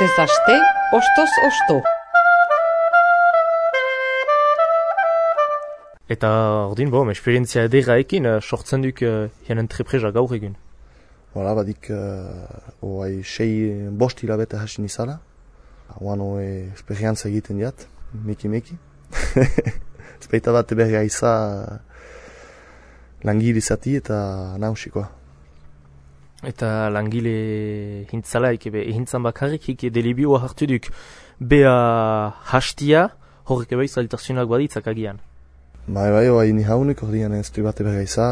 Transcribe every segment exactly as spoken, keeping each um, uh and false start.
Astez aste, ostoz osto. Eta ordin, bom, esperientzia ederaekin uh, sortzen duk uh, hien entrepresa gaur egun. Voilà, badik, uh, oai, sei bost hilabete hasin izala. Oan oe esperientzia egiten diat, meki-meki. Ezpeita bat eberga iza langile izati eta nausikoa. Eta langile hintzalaik, ebe hintzan bakarrik hik delibioa hartu duk bea hastia, horrek ebe zailtasunak baditzak agian. Bai, bai, oai ni haunik, ordean ez du bat eberga iza,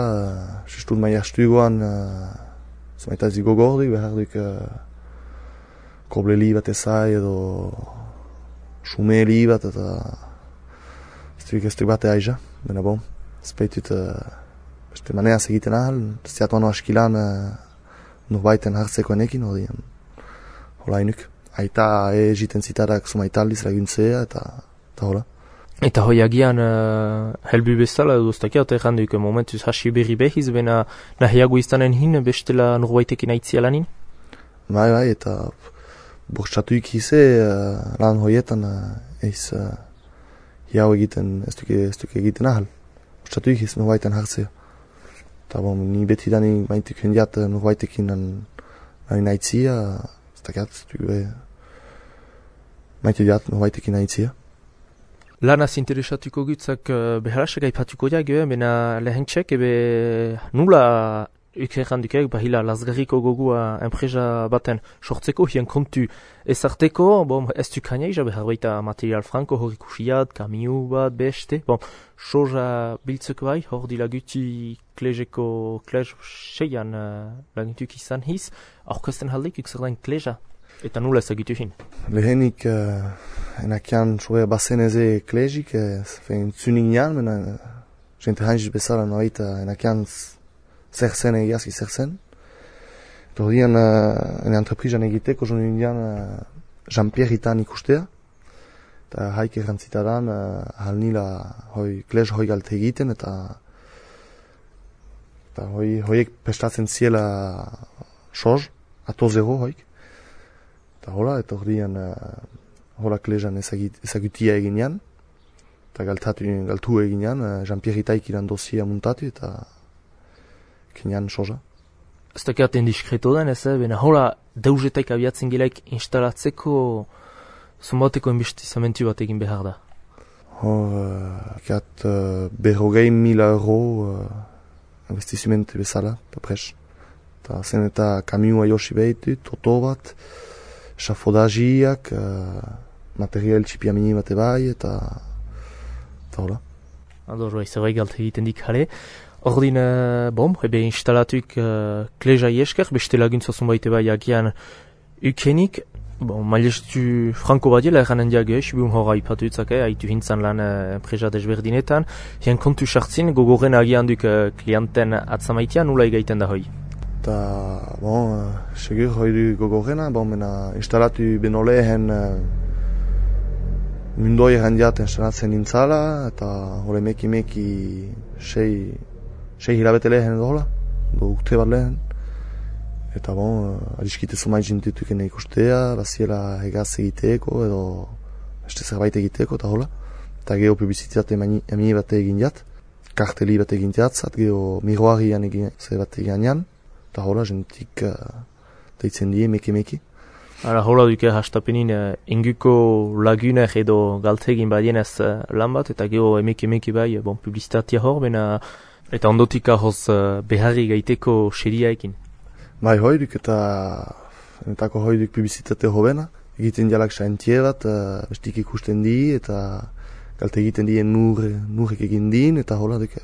sustut maia stuguan, zmaita zigo gordik, behar duk kobleli bat ezai edo sumeli bat, eta ez du ez du bat aiza, bena bom, ezpeitut beste maneaz egiten ahal, ziatuan askilan norbaiten hartzeko enekin, ordean hola inuk. Aita egiten zitarak sumaitaldiz laguntzea eta eta hola. Eta hoi agian uh, helbu bezala edo ustakia, eta erran duk momentuz hasi berri behiz, bena nahiago iztanen hin bestela norbaitekin aitzia lanin? Bai, bai, eta bortxatuik hize uh, lan hoietan uh, eiz uh, hiau egiten, ez duke, ez duke egiten ahal. Bortxatuik hiz norbaiten hartzea. Eta bon, ni beti dani maintik hendiat norbaitekin nahin aitzia, ez dakiat, ez duke maintik diat norbaitekin aitzia. Lanaz interesatuko gutzak uh, beharasak aipatuko diak, bena lehentxek, ebe nula ukerran dukek, bahila lazgarriko gogua enpresa baten sortzeko, hien kontu ezarteko, bom, ez du kaneiza behar baita material franko, hor ikusiat, kamiu bat, beste, bom, soja biltzeko bai, hor dila guti klezeko, klez seian uh, laguntuk izan hiz, aurkezten haldik ukzerdain kleza. Eta nula ezagitu hin? Lehenik uh, enakian soa bazen eze klezik, fein zunik nian, mena jente hanjiz bezala noaita enakian zer zen egiazki zer zen. Eta hori dian uh, ene entreprizan egiteko zon indian uh, Jean-Pierre itan ikustea. Eta haik errantzitadan uh, hal nila hoi klez hoi galte egiten eta eta hoi hoiek prestatzen ziela soz, ato zero hoik. Eta hola, eta hori dian uh, hola klezan ezagutia eginean. Eta galtatu, galtu eginean, uh, Jean-Pierre itaik iran dosia muntatu eta kenean soza. Ez dakiaten diskreto den ez, bena hola deuzetaik abiatzen gilaik instalatzeko zumbateko investizamentu bat egin behar da. Hor, uh, kiat uh, berrogei mila euro uh, investizimente bezala, eta pres. Eta zen eta kamiua josi behitu, toto bat, esafodagiak, uh, material txipiamini bate bai, eta eta hola. Ador, bai, zerbait galte egiten dik jale. Ordin, uh, bom, ebe instalatuik uh, kleza iesker, beste laguntza zunbaite bai agian ukenik. Bon, mailestu franko badiela erranen diage, subun hor haipatu utzak, eh, haitu hintzan lan uh, enpresa desberdinetan. Hien kontu sartzin, gogoren agian duk uh, klienten atzamaitia, nula egaiten da hoi? Eta, bon, uh, segur hoi du gogorena, bon, mena instalatu beno lehen uh, mundoi errandiat instalatzen nintzala, eta hori meki-meki sei, sei hilabete lehen edo hola, do urte bat lehen. Eta bon, uh, adiskite zumai jintutukene ikustea, baziela hegaz egiteeko edo beste zerbait egiteeko eta hola. Eta geho publizitate emini bat egin jat, karteli bat egin jatzat, geho miroarian egin zer bat egin jan, eta hola jentik uh, deitzen die meke-meki. Ara hola duke hastapenin uh, inguko laguner edo galtegin badienez uh, lan bat, eta geho emeke-meki bai, bon, publizitatea hor, bena, eta ondotik ahoz uh, beharri gaiteko seria ekin. Bai, hoiduk eta entako hoiduk publizitate hobena. Egiten dialak saintie bat, uh, bestik ikusten di, eta galte egiten dien nur, nurrek egin din, eta hola duk,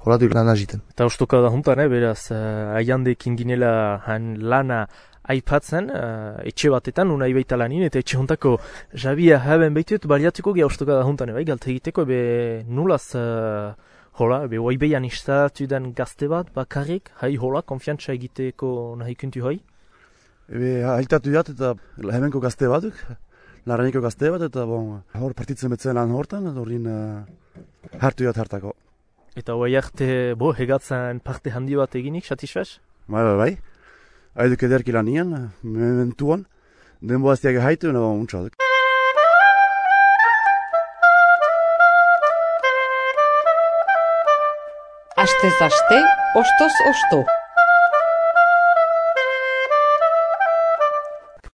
hola duk lan agiten. Eta ostoka da juntan, eh, beraz, uh, aiandekin ginela han lana aipatzen, uh, etxe batetan, unai baita lanin, eta etxe juntako jabia haben behitut, baliatuko geha ostoka da juntan, bai, galte egiteko, ebe nulaz... Uh, Hola, ebe oibeian instalatu den gazte bat, bakarrik, hai hola, konfiantza egiteko nahi kuntu hoi? Ebe haitatu jat eta hemenko gazte batuk, laraniko gazte bat, eta bon, hor partitzen betzen lan hortan, horrin uh, hartu jat hartako. Eta hoi arte, bo, hegatzen parte handi bat eginik, satisfaz? Bai, bai, bai. Haiduk ederki lanian, mementuan, denboa ez diak haitu, no, untsa duk. Astez aste, ostoz osto.